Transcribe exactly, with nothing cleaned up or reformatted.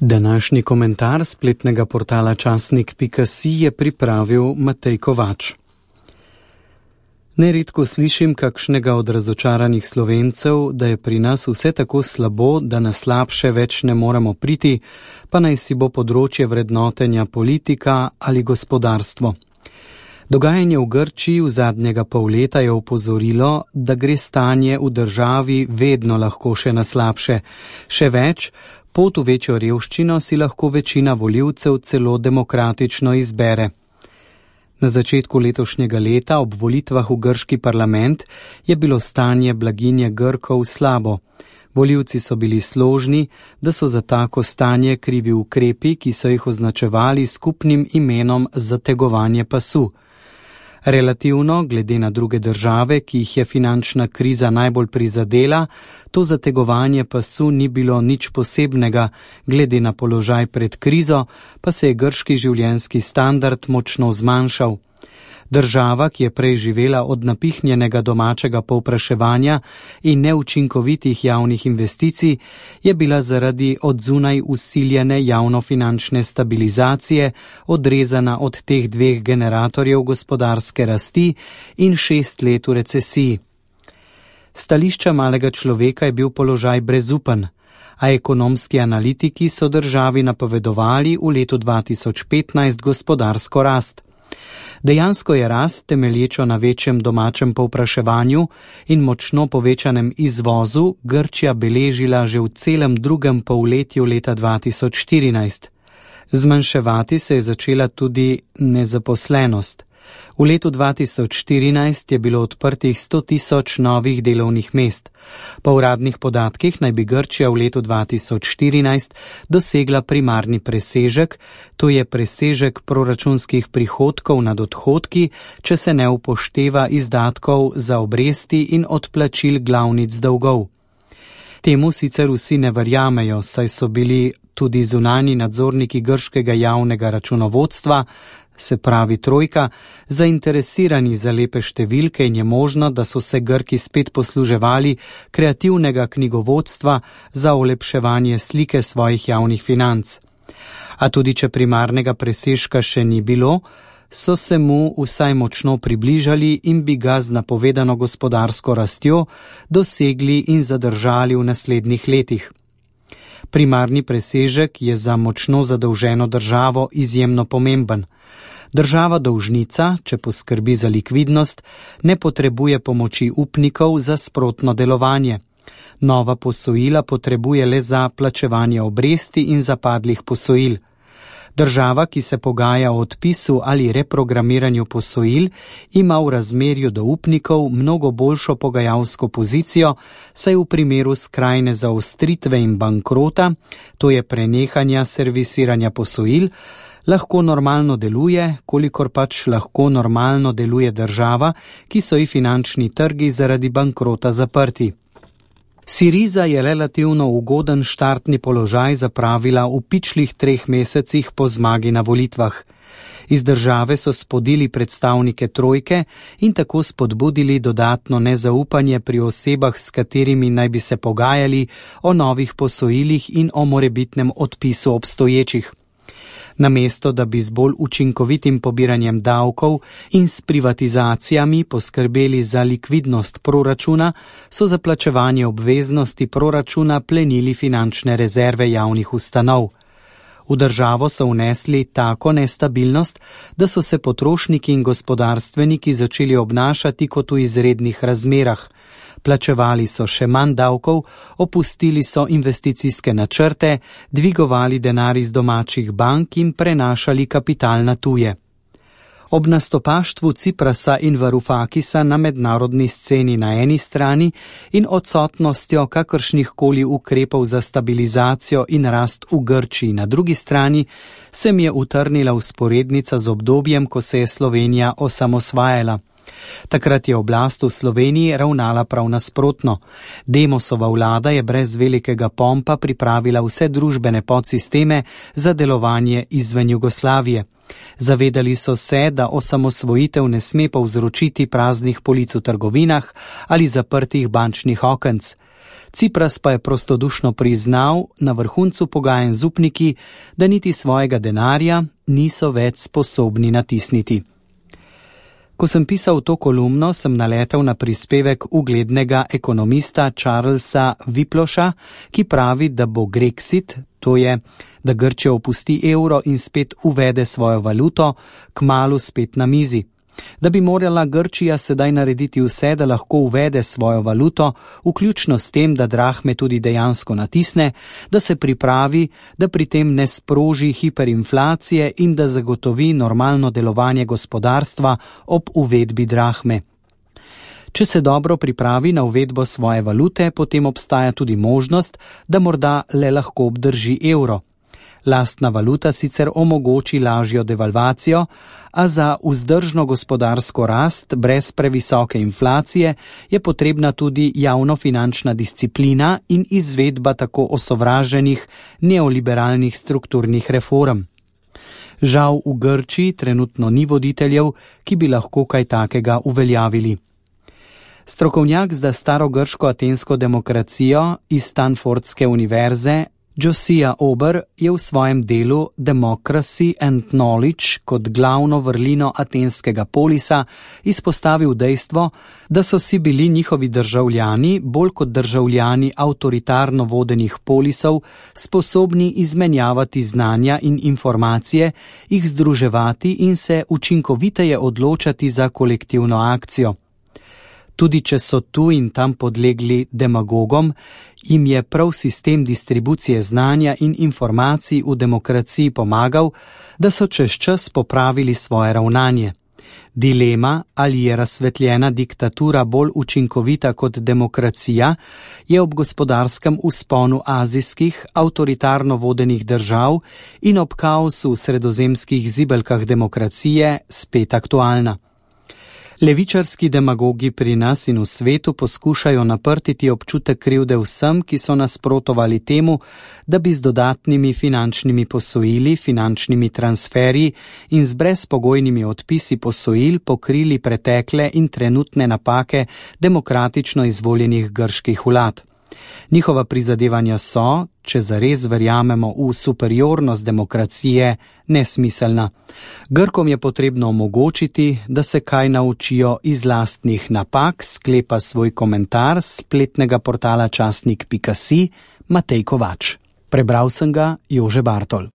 Današnji komentar spletnega portala časnik pika si je pripravil Matej Kovač. Neredko slišim kakšnega od razočaranih Slovencev, da je pri nas vse tako slabo, da na slabše več ne moremo priti, pa naj si bo področje vrednotenja politika ali gospodarstvo. Dogajanje v Grčiji v zadnjega pol leta je opozorilo, da gre stanje v državi vedno lahko še na slabše. Še več, pot v večjo revščino si lahko večina volivcev celo demokratično izbere. Na začetku letošnjega leta ob volitvah v grški parlament je bilo stanje blaginje Grkov slabo. Volivci so bili složni, da so za tako stanje krivi ukrepi, ki so jih označevali skupnim imenom zategovanje pasu. Relativno, glede na druge države, ki jih je finančna kriza najbolj prizadela, to zategovanje pasu ni bilo nič posebnega, glede na položaj pred krizo, pa se je grški življenjski standard močno zmanjšal. Država, ki je prej živela od napihnjenega domačega povpraševanja in neučinkovitih javnih investicij, je bila zaradi odzunaj usiljene javnofinančne stabilizacije odrezana od teh dveh generatorjev gospodarske rasti in šest let v recesiji. Stališča malega človeka je bil položaj brezupen, a ekonomski analitiki so državi napovedovali v letu dva tisoč petnajst gospodarsko rast. Dejansko je rast, temelječo na večjem domačem povpraševanju in močno povečanem izvozu, Grčija beležila že v celem drugem polletju leta dva tisoč štirinajst. Zmanjševati se je začela tudi nezaposlenost. V letu dva tisoč štirinajst je bilo odprtih sto tisoč novih delovnih mest. Po uradnih podatkih naj bi Grčija v letu dva tisoč štirinajst dosegla primarni presežek, to je presežek proračunskih prihodkov nad odhodki, če se ne upošteva izdatkov za obresti in odplačil glavnic dolgov. Temu sicer vsi ne verjamejo, saj so bili tudi zunanji nadzorniki grškega javnega računovodstva, se pravi trojka, zainteresirani za lepe številke in je možno, da so se Grki spet posluževali kreativnega knjigovodstva za olepševanje slike svojih javnih financ. A tudi če primarnega presežka še ni bilo, so se mu vsaj močno približali in bi ga z napovedano gospodarsko rastjo dosegli in zadržali v naslednjih letih. Primarni presežek je za močno zadolženo državo izjemno pomemben. Država dolžnica, če poskrbi za likvidnost, ne potrebuje pomoči upnikov za sprotno delovanje. Nova posojila potrebuje le za plačevanje obresti in zapadlih posojil. Država, ki se pogaja o odpisu ali reprogramiranju posojil, ima v razmerju do upnikov mnogo boljšo pogajalsko pozicijo, saj v primeru skrajne zaostritve in bankrota, to je prenehanja servisiranja posojil, lahko normalno deluje, kolikor pač lahko normalno deluje država, ki so ji finančni trgi zaradi bankrota zaprti. Siriza je relativno ugoden štartni položaj zapravila v pičlih treh mesecih po zmagi na volitvah. Iz države so spodili predstavnike trojke in tako spodbudili dodatno nezaupanje pri osebah, s katerimi naj bi se pogajali o novih posojilih in o morebitnem odpisu obstoječih. Namesto, da bi z bolj učinkovitim pobiranjem davkov in s privatizacijami poskrbeli za likvidnost proračuna, so za plačevanje obveznosti proračuna plenili finančne rezerve javnih ustanov. V državo so vnesli tako nestabilnost, da so se potrošniki in gospodarstveniki začeli obnašati kot v izrednih razmerah. Plačevali so še manj davkov, opustili so investicijske načrte, dvigovali denar iz domačih bank in prenašali kapital na tuje. Ob nastopaštvu Ciprasa in Varufakisa na mednarodni sceni na eni strani in odsotnostjo kakršnihkoli ukrepov za stabilizacijo in rast v Grčiji na drugi strani, se mi je utrnila vzporednica z obdobjem, ko se je Slovenija osamosvajala. Takrat je oblast v Sloveniji ravnala prav nasprotno. Demosova vlada je brez velikega pompa pripravila vse družbene podsisteme za delovanje izven Jugoslavije. Zavedali so se, da osamosvojitev ne sme povzročiti praznih polic v trgovinah ali zaprtih bančnih okenc. Cipras pa je prostodušno priznal na vrhuncu pogajanj z upniki, da niti svojega denarja niso več sposobni natisniti. Ko sem pisal to kolumno, sem naletel na prispevek uglednega ekonomista Charlesa Wiploša, ki pravi, da bo Grexit, to je, da Grčija opusti evro in spet uvede svojo valuto, kmalu spet na mizi. Da bi morala Grčija sedaj narediti vse, da lahko uvede svojo valuto, vključno s tem, da drahme tudi dejansko natisne, da se pripravi, da pri tem ne sproži hiperinflacije in da zagotovi normalno delovanje gospodarstva ob uvedbi drahme. Če se dobro pripravi na uvedbo svoje valute, potem obstaja tudi možnost, da morda le lahko obdrži evro. Lastna valuta sicer omogoči lažjo devalvacijo, a za vzdržno gospodarsko rast brez previsoke inflacije je potrebna tudi javnofinančna disciplina in izvedba tako osovraženih neoliberalnih strukturnih reform. Žal v Grčiji trenutno ni voditeljev, ki bi lahko kaj takega uveljavili. Strokovnjak za starogrško atensko demokracijo iz Stanfordske univerze Josiah Ober je v svojem delu Democracy and Knowledge kot glavno vrlino atenskega polisa izpostavil dejstvo, da so si bili njihovi državljani, bolj kot državljani avtoritarno vodenih polisov, sposobni izmenjavati znanja in informacije, jih združevati in se učinkoviteje odločati za kolektivno akcijo. Tudi če so tu in tam podlegli demagogom, jim je prav sistem distribucije znanja in informacij v demokraciji pomagal, da so čez čas popravili svoje ravnanje. Dilema, ali je razsvetljena diktatura bolj učinkovita kot demokracija, je ob gospodarskem vzponu azijskih, avtoritarno vodenih držav in ob kaosu v sredozemskih zibelkah demokracije spet aktualna. Levičarski demagogi pri nas in v svetu poskušajo naprtiti občutek krivde vsem, ki so nasprotovali temu, da bi z dodatnimi finančnimi posojili, finančnimi transferji in z brezpogojnimi odpisi posojil pokrili pretekle in trenutne napake demokratično izvoljenih grških vlad. Njihova prizadevanja so, če zares verjamemo v superiornost demokracije, nesmiselna. Grkom je potrebno omogočiti, da se kaj naučijo iz lastnih napak, sklepa svoj komentar s spletnega portala časnik pika si Matej Kovač. Prebral sem ga Jože Bartol.